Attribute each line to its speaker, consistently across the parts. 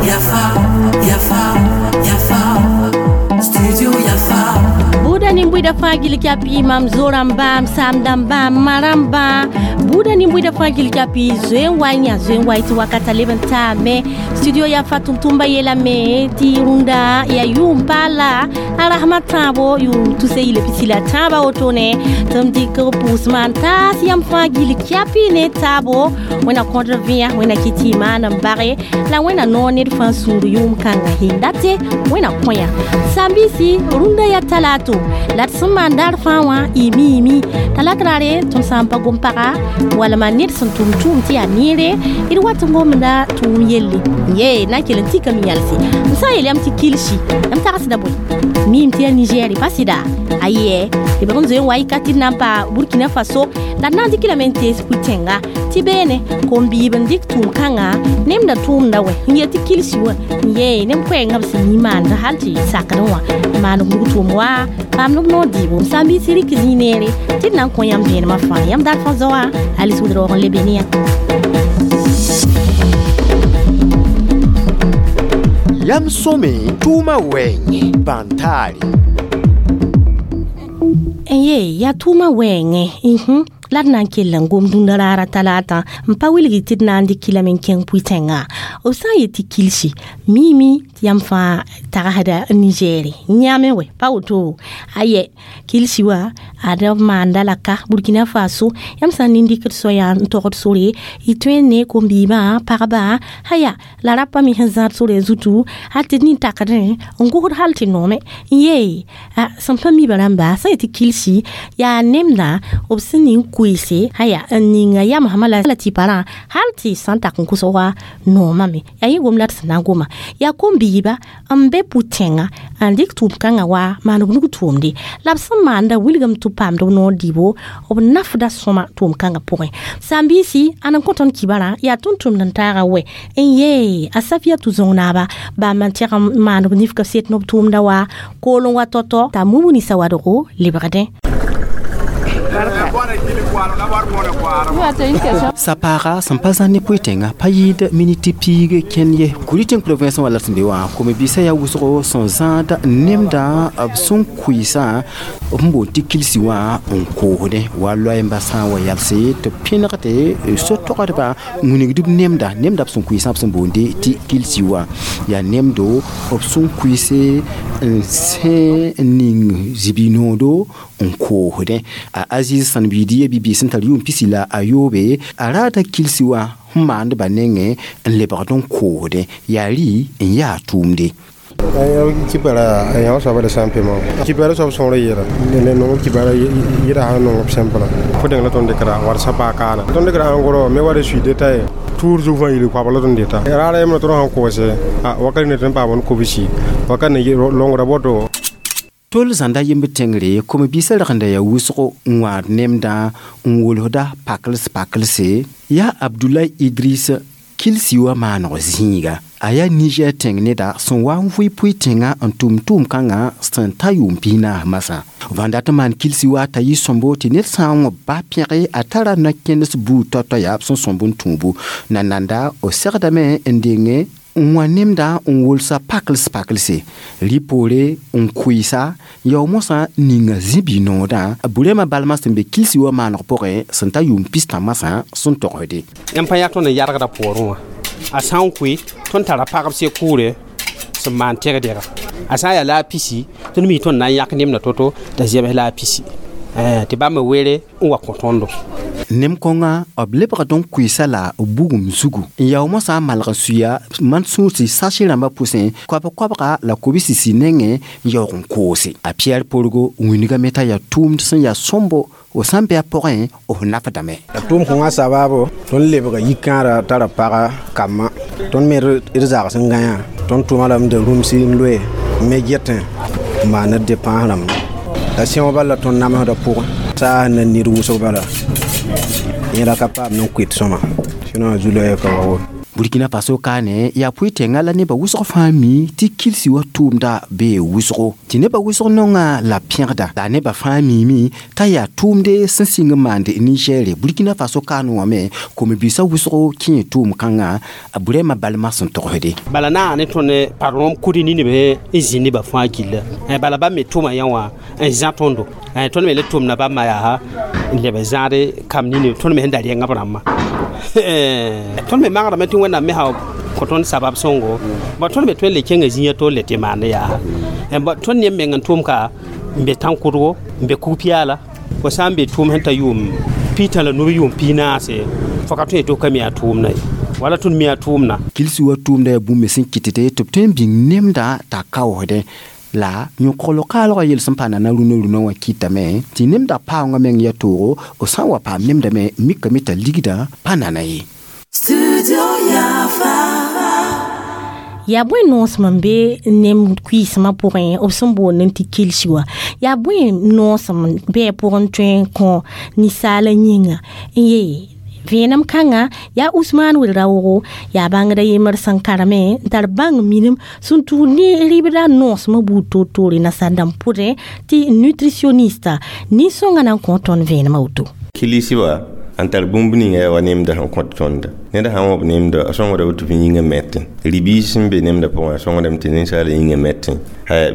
Speaker 1: Yafa, Yafa, Yafa, Studio Yafa.
Speaker 2: Buda nin-buida fãa gil kapi mam zorãmba m saamdãmba m ma-rãmbã buudã nin-buidã fãa gil kapi zoe n wa n yã zoe n wa tɩ wakata leb n taame studio yaa fa tʋm-tʋmba yeelame tɩ rũndã yaa yʋʋm paala a rasmã tãabo yʋʋm tuse yɩl pisi la tãabã wotone tɩ m dɩk b pʋʋsmã n taas yãmb fãa gil kapi ne taabo wẽna kõdr vẽa wẽna kɩ tɩ y maan n bage la wẽna noor ned fãa sũur yʋʋm kãngã hindate wẽna kõ-yã saam-biisi rũndã yaa talato la d sẽn maan daar fãa wã y miime talat raare tõnd sã n pa gom-paga walma ned sẽn tʋm tʋʋm tɩ yaa neere d wat n gomda tʋʋm yelle ye na n kell n tikame yãlse m sã n yeel yãmb tɩ kilsi yãmb tagsda bõe miime tɩ yaa nigɛre pa sɩda ayɛ d bg n zoe n wa y ka tɩ d na n pa burkina faso la d na n dɩk lame n tees pʋɩ-tẽnga tɩ beene kom-biib n dɩk tʋʋm-kãngã nemda tʋʋmda wɛ n yet tɩ kilsi wã ye nem koɛɛngã b sẽn yĩ maanda hal tɩ sakdẽ wã maan b nug tʋʋm wa paam b noor dɩɩbo m sã n biisi rɩk zĩig neere tɩ d na n kõ yãmb vẽenemã fãa yãmb daar fãa zao wã alice wudroog n lebe ne yã
Speaker 3: Yam sõme tʋʋma wɛɛngẽ bãn-taare.
Speaker 2: N ye yaa tʋʋmã wɛɛngẽ la d na n kell n gom dũnda raara talata n pa wilgi tɩ d na n dɩk kilame n kẽng pʋɩ-tẽngã b sã n yet tɩ kilsi miime tɩ yãmb fãa tagsda nigɛɛre yãame wɛ pa woto ayɛ kilsi wa ad b maanda la ka burkina faso yãmb sã n nin-dɩkd soaya n togd sore y tõe n ne kom-biibã pagba haya la rapa me sẽn zãad sore zutu hal tɩ d nin-takdẽ n gosd hal tɩ noome n yee sẽn pa miba rãmba sã n yet tɩ kilsi yaa nemdã b sẽn ning koeese haya n ninga yamsmã la tɩpa rã hal tɩ sã n tak n kʋsg wa noomame yaa yẽ gom la d sẽn na n goma yaa kom-biiba n be pʋ-tẽngã n dɩk tʋʋm-kãngã wa maan b nug tʋʋmde la b sẽn maanda wilgame tɩ b paamd b noor dɩɩbo b nafda sõma tʋʋm-kãngã pʋgẽ saam-biisi ãn n kõ tõnd kibarã yaa tʋm-tʋmd n taaga wɛ n yee a safia tʋ zõng-naaba bãmb n tẽg n maan b nifka set ne b tʋʋmda wa kool n wa tɔ-tɔ t'a mumuni sawadgo lebgdẽ.
Speaker 3: Sapaaga sẽn pa zãn ne pʋɩ-tẽngã pa yɩɩd miniti piig kẽnd ye Kuri-tẽng province wã la sẽn be wã kom-biisã yaa wʋsgo sẽn zãad nemdã b sẽn kʋɩɩsã b sẽn boond tɩ kilsi wã n koosdẽ wa loɛɛmbã sã n wa yalse tɩ b pẽnegde so-togsdbã n wilgd b nemda nemda b sẽn kʋɩɩsã b sẽn boonde tɩ kilsi wã yaa nemdo b sẽn kʋɩɩse n sẽ n ning zĩbi-noodo n koosdẽ a Aziz sãn-biid ye bi-biis sẽn tar yʋʋm pisi la a yoobe a raada kilsi wã sẽn maandbã nengẽ n lebgd n koosdẽ yaa rɩ n yaa tʋʋmde.
Speaker 4: Kibara yã soaba la sã n pema kibara soab sõor yɛla ne nong kibara yɩra sã nong b sẽmpla fo dẽng la tõnd dɩkra war sã paa kaana tõnd dɩkra ãngorɔ me wa d sui deta ye tuur zug fãa yil koabg la tõnd deta raara yembrã tõnd sãn koose wakat ne tõnd paam n kobsi wakat ne longra boto.
Speaker 3: Tol zãnda yemb tẽngre kom-biisã ragenda yaa wʋsgo n wãad nemdã n wolsda pakls paklse yaa Abdulay Idris kilsi wã maaneg zĩiga a yaa Niger tẽng neda sẽn wa n vʋɩ pʋɩ-tẽngã n tʋm tʋʋm-kãngã sẽn ta yʋʋm pis-naas masã vãn dat n maan kilsi wa t'a yɩ sõmbo tɩ ned sã n wõ ba pẽge a tara no-kẽnes buud tao-tao yaa b sẽn sõmb n tũubu nananda b segdame n denge n wã nemdã n wolsa pakls paklse rɩ poore n kʋɩɩsa yao mosã ninga zĩ-bi-noodã burema balmã sẽn be kilsi wã maaneg pʋgẽ sẽn ta yʋʋm pistã masã sẽn togsde.
Speaker 5: Yãmb pa yaa tõnd n yargda poorẽ wã a sã n koe tõnd tara pagb se kʋʋre sẽn maan tɛgdɛga a sã n yaa la a pisi tõnd mi tõnd na n yãk nemda to-to t'a zɛbs la a pisi tɩ bãmb were n wa kõ tõndo.
Speaker 3: Nem-kõngã b lebgd n kʋɩɩsa la bugum zugu n yao mosã n malg n suya man-sũursi sase rãmbã pʋsẽ koab-koabga la kobsisi nengẽ n yaoog n koose a Piyɛr porgo wĩnigame t'a yaa tʋʋmd sẽn yaa sõmbo f sãn bɩ a pʋgẽ f nafdame.
Speaker 6: La tʋʋm kõngã sabaabo tõnd lebga yikãara tara paga kambã tõnd me d zags n gãyã tõnd tʋʋma lame de rũmsi n loe n me getẽ n maan d depãs rãmba la sẽog bala la tõnd namsdã pʋgẽ saas na nid wʋsg bala yẽla ka paam n koet sõma sinon a zu-loɛɛg ka wa woto.
Speaker 3: Burkina Faso kaane yaa pʋɩ-tẽngã la nebã wʋsg fãa mi tɩ kilsi wa tʋʋmda bee wʋsgo tɩ nebã wʋsg nonga la pẽgda la nebã fãa miime t'a yaa tʋʋmde sẽn sɩng n maand Nigɛɛre. Burkina Faso kaane wã me kom-biisã wʋsgo kẽ tʋʋm-kãngã a Burɛma balmã sẽn togsde.
Speaker 5: Bala na ne tõnd patron kudi nineb n zĩ nebã fãa gilla, bala bãmb me tʋma yã wã n zã tõndo, tõnd me le tʋmda bãmba yaa n leb n zãade kam nineb tõnd me sẽn da rẽnga b rãmbã. Tõnd me magrame tɩ Wẽnnaam me sã kõ tõnd sabab sõngo, ba tõnd me tõe n le kẽnga zĩiga to le tɩ maand yaa. Tõnd ne meng n tʋm ka n be tãn-kʋdgo n be kug-piaala, fo sã n be tʋʋm sẽn ta yʋʋm piitã la nub yʋʋm piig-naase, fo ka tõe tɩ ka mi a tʋʋmda ye, wala tõnd mi a tʋʋmda.
Speaker 3: Kilsi wa tʋʋmda yaa bũmb me sẽn kɩtde tɩ b tõe n bĩng nemdã t'a kaoosdẽ la yõkgl kaalgã yel sẽn pa nana rũnã rũnã wã kɩtame tɩ nemdã paoongã meng yaa toogo b sã n wa paam nemdame mikame t'a ligdã pa nana ye.
Speaker 2: Yaa bõe noosem n be nem kuiismã pʋgẽ b sẽn boond n tɩ kilsi wã? Yaa bõe noosem bɩ a pʋgẽ tõe n kõ ninsaala yĩnga n yee vẽenem kãngã? Yaa Usman Wel-Raoogo yaa bãngda yembr sẽn karame n tar bãng minim sẽn tʋʋd ne rɩbda noosmã buud toor-toore nasaar dãmb pʋdẽ tɩ nutritionniste nin-sõngã na n kõ tõnd vẽenemã woto.
Speaker 7: Kilisi wa n tar bũmb ninga wa nemda sẽn kõt tõnda. Ned sã n wõb nemda, a sõngda woto fɩ yĩngã mɛtẽ. Rɩ-biis sẽn be nemda pʋgẽ, a sõngdame tɩ ninsaala yĩngã mɛtẽ.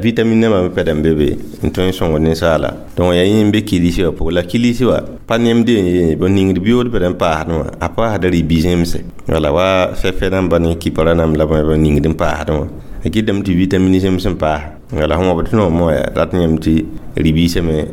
Speaker 7: Vitamine nãmbã me pɛda n be be n tõe n sõngd ninsaala. Donc yaa yẽ n be kilisi wã pʋgẽ. La kilisi wã pa nemd n ye b ningd biyood pɛd n paasdẽ wã, a paasda rɩ-bi-zẽmse. Wala wa fɛfɛ rãmba ne kɩpra rãmb la b ningd n paasdẽ wã. A kɩtame tɩ vitamine zems n paas. Wala sẽn wãbd tõog wã rat yãmb tɩ rɩ-biisã me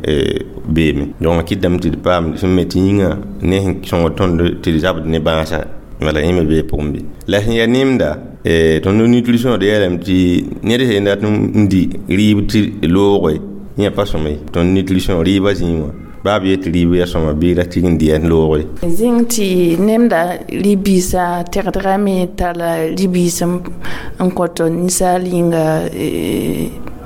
Speaker 7: beeme. Donc a kɩtame tɩ d paam sẽn me tɩ yĩngã ne sẽn sõngd tõnd tɩ d zabd ne bãasa. Wala yẽ me bee pʋgẽ bɩ. La sẽn yaa nemda, tõnd nutrition d yeelame tɩ ned sẽn dat n di rɩɩb tɩ looge yẽ pa sõma ye. Tõnd nutrition rɩɩbã zĩig wã baa b yet tɩ rɩɩb yaa sõma bɩ ra tɩg n dɩ yaa looge.
Speaker 8: Zĩng tɩ nemda rɩ-biisã tegdgame tara rɩ-biis n kõt ninsaal yĩnga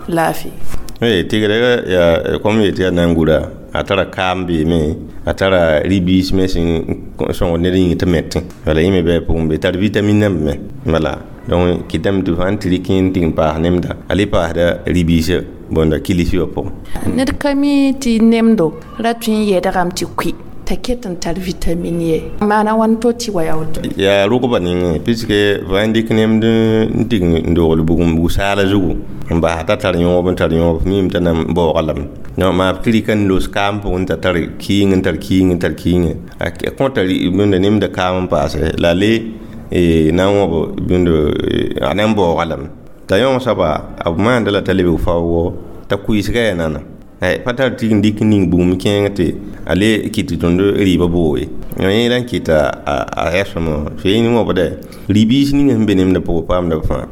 Speaker 8: laafɩ.
Speaker 7: Tɩgdga yaa kom yetɩ yaa na n gura a tara kaam beeme, a tara rɩ-biis me sẽn sõngd ned yĩng tɩ mɛtẽ. Wala yẽ me bɩ a pʋgẽ be tar vitamine nãmb me. Wala donc kɩtame tɩ fãa n tɩ rɩk n tɩg n paas nemda, a le paasda rɩ-biisã bõnda kilsi wã pʋgẽ.
Speaker 8: Ned ka mi tɩ nemdo ra tõe n yɛdgame tɩ kʋɩ t'a ket n tar vitamine ye. Maana wãn to tɩ wa yaa woto?
Speaker 7: Yaa rʋgba nengẽ puisque fãa n dɩk nemd n tɩg n dogl bugum bug-saala zugu n bas t'a tar yõob n tar yõob miime t'a na n baooga lame. Donc maa tɩ rɩka n los kaam pʋgẽ t'a tar kɩɩng n tar kɩɩng n tar kɩɩngẽ, a kõta bõnda nemda kaam n paase la le na n wãb bõnd a na n baooga lame. T'a yõog soaba b maanda la t'a lebg faoogo t'a kʋɩsga yaa nana. Pa tar tɩg n dɩk n ning bugum kẽeng tɩ a le kɩt tɩ tõnd rɩɩbã boo ye. Yẽ la n kɩta a yaa sõma wã. Tɩ yẽ wãbda rɩ-biis ninga sẽn be nemdã pʋgẽ paamda b fãa.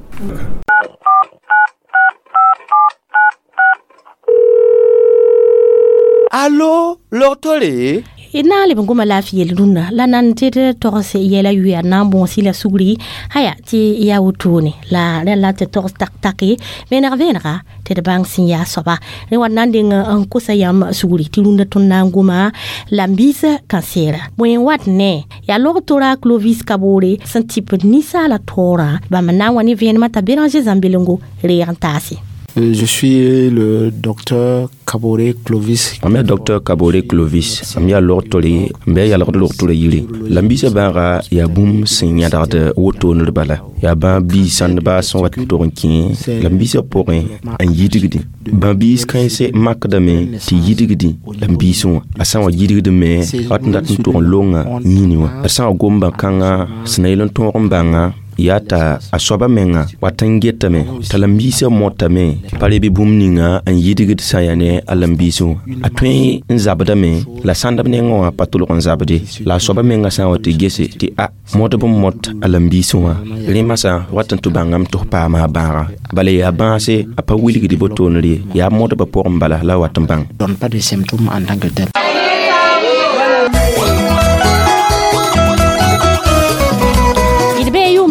Speaker 3: Allo, logtore?
Speaker 2: D na n leb n goma laafɩ yel rũndã la nan tɩ d togs yɛla yʋa na n bõosi la sugri haya tɩ yaa wotone la rẽ la tɩ togs tak-take vẽneg vẽenega tɩ d bãng sẽn yaa soaba rẽ wa na n deng n kosa yãmb sugri tɩ rũndã tõnd na n goma la m biis kansɛɛra. Bõe n wat ne yaa log-tora Clovis Kaboore sẽn tɩp ninsaala taoorã bãmb n na n wa ne vẽenemã t'a Béranger Zãmbelengo reeg n taase.
Speaker 9: Je suis le docteur Kaboré Clovis.
Speaker 10: Mam yaa docteur Kaboré Clovis, mam yaa log-tore n bɩ a yalgd log-torã yiri. La m biisã bãaga yaa bũmb sẽn yãdgd wotooned bala. Yaa bãab biis sãndba sẽn wat n tog n kẽ la m biisã pʋgẽ n yidgdẽ. Bã-biis kãense makdame tɩ yidgdẽ la m biisẽ wã. A sã n wa yidgdme wat n dat n tog n longa yĩni wã. A sã n wa gom bã-kãngã sẽn na yel n tõog n bãnga yaa t'a a soaba menga wat n getame t'a la m biisã motame pa rebe bũmb ninga n yidgd sã n yaa ne a la m biisẽ wã. A tõe n zabdame la sãndb nengẽ wã pa tʋlg n zabde la a soaba menga sã n wa tɩ gese tɩ a modb n mot a la m biisẽ wã rẽ masã wat n tɩ bãngame tɩ f paama a bãaga. Bala yaa bãase a pa wilgd botoonr ye, yaa modbã pʋgẽ bala la a wat n bãng.
Speaker 9: Donne pas de symptômes en tant que tel.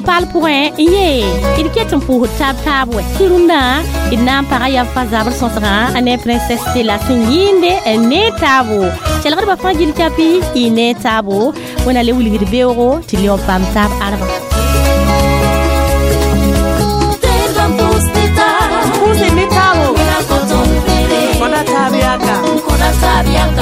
Speaker 2: Paal pʋgẽ n yee d ket n pʋʋsd taab taab wɛ tɩ rũndã d na n paga yaa fa zabr sõsgã a ne princesse de la sẽn yĩnde ne taabo kelgdbã fãa gil kapi y ne taabo wẽna le wilgd beoogo tɩ leoog paam taab ãreba.
Speaker 1: La bière.